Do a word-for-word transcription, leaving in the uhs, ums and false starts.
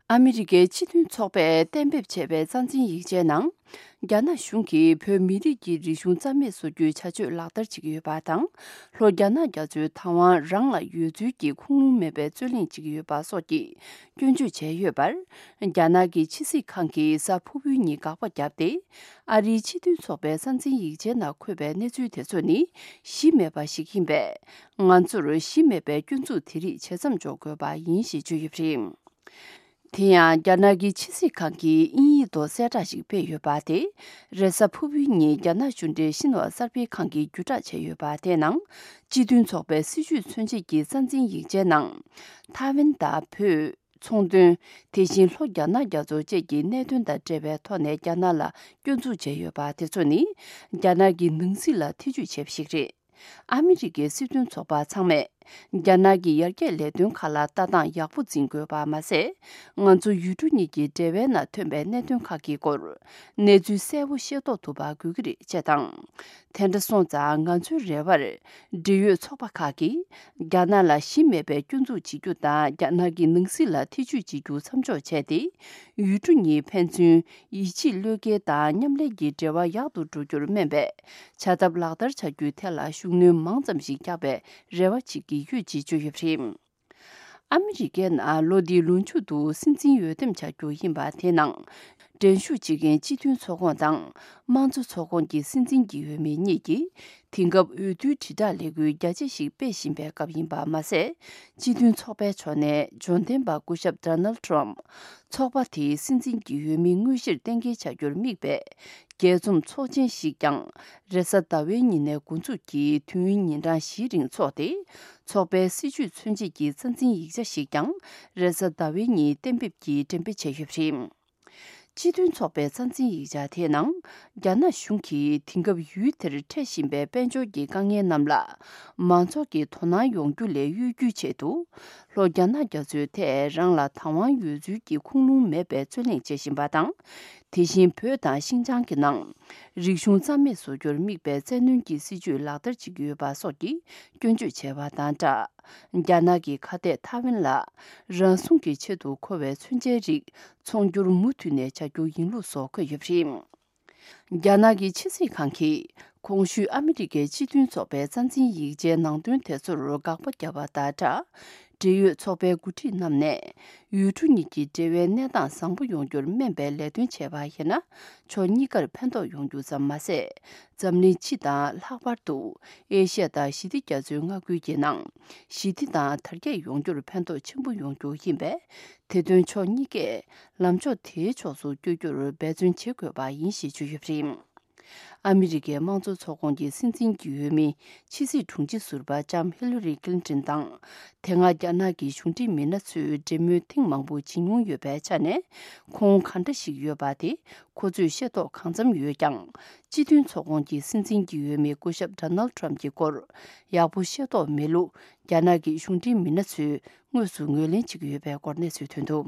ཨ་མི་རི་ཀའི་སྤྱི་མཐུན་ཚོགས་པས་གཏན་འབེབས་བྱས་པའི་རྩ་འཛིན་ཡིག་ཆའི་ནང་། རྒྱ་ནག་གཞུང་གིས་བོད་མི་རིགས་ཀྱི་རིག་གཞུང་རྩ་མེད་བཟོ་རྒྱུའི་བྱ་སྤྱོད་ལག་བསྟར་བྱེད་ཀྱི་ཡོད་པ་དང་། ལྷོ་རྒྱ་ནག་རྒྱ་མཚོའི་བདག་དབང་རང་ལ་ཡོད་ཚུལ་གྱི་ཁུངས་ལུང་མེད་པའི་རྩོད་གླེང་བྱེད་ཀྱི་ཡོད་པ་སོགས་ཀྱི་སྐྱོན་བརྗོད་བྱས་ཡོད་པར། རྒྱ་ནག་གི་ཕྱི་སྲིད་ཁང་གིས་གཟའ་ཕུར་བུའི་ཉིན་དགག་པ་བརྒྱབ་སྟེ། ཨ་རིའི་སྤྱི་མཐུན་ཚོགས་པའི་རྩ་འཛིན་ཡིག་ཆའི་ནང་འཁོད་པའི་གནས་ཚུལ་དེ་ཚོ་ནི་གཞི་མེད་པ་ཞིག་ཡིན་པས། ང་ཚོར་གཞི་མེད་པའི་སྐྱོན་འཛུགས་དེ་རིགས་བྱེད་མཚམས་འཇོག་དགོས་པ་ཡིན་ཞེས་བརྗོད་ཡོད་པ་རེད། དེ་ཡང་རྒྱ་ནག་གི་ཕྱི་སྲིད་ཁང་གིས་དབྱིན་ཡིག་ཐོག་གསལ་བསྒྲགས་ཤིག་སྤེལ་ཡོད་པ་དེ། རེས་གཟའ་ཕུར་བུའི་ཉིན་རྒྱ་ནག་གཞུང་འབྲེལ་ཤིན་ཧྭ་གསར་སྤེལ་ཁང་གིས་བརྒྱུད་བསྒྲགས་བྱས་ཡོད་པ་དེའི་ནང་། སྤྱི་མཐུན་ཚོགས་པའི་སྲིད་བྱུས་མཚོན་བྱེད་ཀྱི་རྩ་འཛིན་ཡིག་ཆའི་ནང་། ཐའེ་ཝན་དང་བོད། ཚོང་དོན། དེ་བཞིན་ལྷོ་རྒྱ་ནག་རྒྱ་མཚོ་བཅས་ཀྱི་གནད་དོན་དང་འབྲེལ་བའི་ཐོག་ནས་རྒྱ་ནག་ལ་སྐྱོན་འཛུགས་བྱས་ཡོད་པ་དེ་ཚོ་ནི། རྒྱ་ནག་གི་ནང་སྲིད་ལ་ཐེ་ཇུས་བྱས་པ་ཞིག་རེད། ཨ་མི་རི་ཀའི་སྲིད་དོན་ཚོགས་པ་ཚང་མས། རྒྱ་ནག་གི་ཡར་རྒྱས་ལས་དོན་ཁག་ལ་ལྟ་སྟངས་ཡག་པོ་འཛིན་དགོས་པ་མ་ཟད། ང་ཚོ་ཡུལ་གྲུ་གཉིས་ཀྱི་འབྲེལ་བའི་ནང་ཐོན་པའི་གནད་དོན་ཁག་གི་སྐོར། གནས་ཚུལ་གསལ་པོ་ཤེས་རྟོགས་ཐུབ་པ་དགོས་ཀྱི་རེད་ཅེས་དང་། དེ་འདྲ་སོང་ཙང་ང་ཚོའི་རེ་བར། འབྲེལ་ཡོད་ཚོགས་པ་ཁག་གིས། རྒྱ་ནག་ལ་གཞི་མེད་པའི་སྐྱོན་འཛུགས་བྱེད་རྒྱུ་དང་། རྒྱ་ནག་གི་ནང་སྲིད་ལ་ཐེ་ཇུས་བྱེད་རྒྱུ་མཚམས་འཇོག་བྱས་ཏེ། ཡུལ་གྲུ་གཉིས་ཕན་ཚུན་ཡིད་ཆེས་བློས་འགེལ་དང་མཉམ་ལས་ཀྱི་འབྲེལ་བ་ཡག་ཏུ་འགྲོ་རྒྱུར་སྨན་པའི་བྱ་ཐབས་ལག་བསྟར་བྱ་རྒྱུའི་ཐད་ལ་ཤུགས་སྣོན་མང་ཙམ་ཞིག་རྒྱག་པའི་རེ་བ་བྱེད་ཀྱི་ཡོད་ཅེས་བརྗོད་ཡོད་པ་རེད། ཨ་མི་རི་ཀའི་ནང་ལོ་འདིའི་ལོ་མཇུག་ཏུ་སྲིད་འཛིན་འོས་འདེམས་བྱ་རྒྱུ་ཡིན་པ་དེ་ནང་། འགྲན་ཞུགས་བྱེད་མཁན་སྤྱི་མཐུན་ཚོགས་ཁོངས་དང་དམངས་གཙོ་ཚོགས་ཁོངས་ཀྱི་སྲིད་འཛིན་གྱི་འོས་མི་གཉིས་ཀྱིས། དེང་སྐབས་འོས་བསྡུའི་དྲིལ་བསྒྲགས་ལས་འགུལ་རྒྱ་ཆེ་ཞིག་སྤེལ་བཞིན་པའི་སྐབས་ཡིན་པ་མ་ཟད། སྤྱི་མཐུན་ཚོགས་པའི་ཕྱོགས་ནས་འབྱོར་ལྡན་པ་སྐུ་ཞབས་ཌོ་ནལ་ཊམ་ཕ། ཚོགས་པ་དེའི་སྲིད་འཛིན་གྱི་འོས་མི་དངོས་གཞིར་གཏན་འཁེལ་བྱ་རྒྱུར་དམིགས་པའི། རྒྱས་འཛོམས་ཚོགས་ཆེན་ཞིག་ཀྱང་། རེས་གཟའ་ཟླ་བའི་ཉིན་ནས་འགོ་འཛུགས་ཀྱིས་དུས་ཡུན་ཉིན་གྲངས་བཞིའི་རིང་འཚོགས་ཏེ། ཚོགས་པའི་སྲིད་བྱུས་མཚོན་བྱེད་ཀྱི་རྩ་འཛིན་ཡིག་ཆ་ཞིག་ཀྱང་། རེས་གཟའ་ཟླ་བའི་ཉིན་གཏན་འབེབས་ཀྱིས་འགྲེམས་སྤེལ་བྱས་ཡོད་པ་རེད། སྤྱི་མཐུན་ཚོགས་པའི་རྩ་འཛིན་ཡིག་ཆ་དེའི་ནང་། རྒྱ་ནག་གཞུང་གིས་དེང་སྐབས་ཡུལ་དེར་འཕྲད་བཞིན་པའི་དཔལ་འབྱོར་གྱི་དཀའ་ངལ་རྣམས་ལ། མང་ཚོགས་ཀྱི་དོ་སྣང་ཡོང་རྒྱུ་ལས་གཡོལ་རྒྱུའི་ཆེད་དུ། ལྷོ་རྒྱ་ནག་རྒྱ་མཚོའི་ཐད་རང་ལ་བདག་དབང་ཡོད་ཚུལ་གྱི་ཁུངས་ལུང་མེད་པའི་རྩོད་གླེང་བྱེད་བཞིན་པ་དང་། དེ་བཞིན་བོད་དང་ཤིན་ཅང་གི་ནང་། རིག་གཞུང་རྩ་མེད་བཟོ་རྒྱུར་དམིགས་པའི་བཙན་གནོན་གྱི་སྲིད་བྱུས་ལག་བསྟར་བྱེད་ཀྱི་ཡོད་པ་སོགས་ཀྱི་སྐྱོན་བརྗོད་བྱས་པ་དང་སྦྲགས། རྒྱ་ནག་གི་ཁ་གཏད་ཐའེ་ཝན་ལ། རང་སྲུང་གི་ཆེད་དུ་མཁོ་བའི་མཚོན་ཆའི་རིགས་ཚོང་སྒྱུར་མུ་མཐུད་ནས་བྱ་རྒྱུ་ཡིན་ལུགས་སོགས་འཁོད་ཡོད་པ་རེད། རྒྱ་ནག་གི་ཕྱི་སྲིད་ཁང་གིས་གོང་ཞུས་ཨ་མི་རི་ཀའི་སྤྱི་མཐུན་ཚོགས་པའི་རྩ་འཛིན་ཡིག་ཆའི་ནང་དོན་དེ་ཚོར་དགག་པ་བརྒྱབ་པ་དང་སྦྲགས། འབྲེལ་ཡོད་ཚོགས་པའི་འགོ་ཁྲིད་རྣམས་ནས། ཡུལ་གྲུ་གཉིས་ཀྱི་འབྲེལ་བའི་གནས་སྟངས་བཟང་པོ་ཡོང་རྒྱུར་སྨན་པའི་ལས་དོན་བྱས་པ་ཡིན་ན། ཕྱོགས་གཉིས་ཀར་ཕན་ཐོགས་ཡོང་རྒྱུ་ཙམ་མ་ཟད། འཛམ་གླིང་སྤྱི་དང་ལྷག་པར་དུ། ཨེ་ཤ་ཡ་དང་ཞི་བདེ་རྒྱ་མཚོའི་མངའ་ཁུལ་གྱི་ནང་། ཞི་བདེ་དང་དར་རྒྱས་ཡོང་རྒྱུར་ཕན་ཐོགས་ཆེན་པོ་ཡོང་རྒྱུ་ཡིན་པས། དེ་དོན་ཕྱོགས་གཉིས་ཀས་ལམ་ཕྱོགས་དེའི་ཕྱོགས་སུ་བསྐྱོད་རྒྱུར་འབད་བརྩོན་བྱེད་དགོས་པ་ཡིན་ཞེས་བརྗོད་ཡོད་པ་རེད། ཨ་མི་རི་ཀའི་དམངས་གཙོ་ཚོགས་ཁོངས་ཀྱི་སྲིད་འཛིན་གྱི་འོས་མི་ཕྱི་སྲིད་དྲུང་ཆེ་ཟུར་པ་ལྕམ་ཧི་ལ་རི་ཀླིན་ཏོན་དང་། དེ་སྔ་རྒྱ་ནག་གི་གཞུང་འབྲེལ་མི་སྣ་ཚོས་འབྲེལ་མོལ་ཐེངས་མང་པོ་བྱེད་མྱོང་ཡོད་པའི་ཆ་ནས། ཁོང་གང་འདྲ་ཞིག་ཡོད་པ་དེ་ཁོ་ཚོས་ཤེས་རྟོགས་གང་འཚམ་ཡོད་ཀྱང་། སྤྱི་མཐུན་ཚོགས་ཁོངས་ཀྱི་སྲིད་འཛིན་གྱི་འོས་མི་སྐུ་ཞབས་ཌོ་ནལ་ཊམ་ཕ་གྱི་སྐོར་ཡག་པོ་ཤེས་རྟོགས་མེད་ལུགས། རྒྱ་ནག་གི་གཞུང་འབྲེལ་མི་སྣ་ཚོས་དངོས་སུ་ངོས་ལེན་བྱེད་ཀྱི་ཡོད་པའི་སྐོར་གནས་ཚུལ་ཐོན་འདུག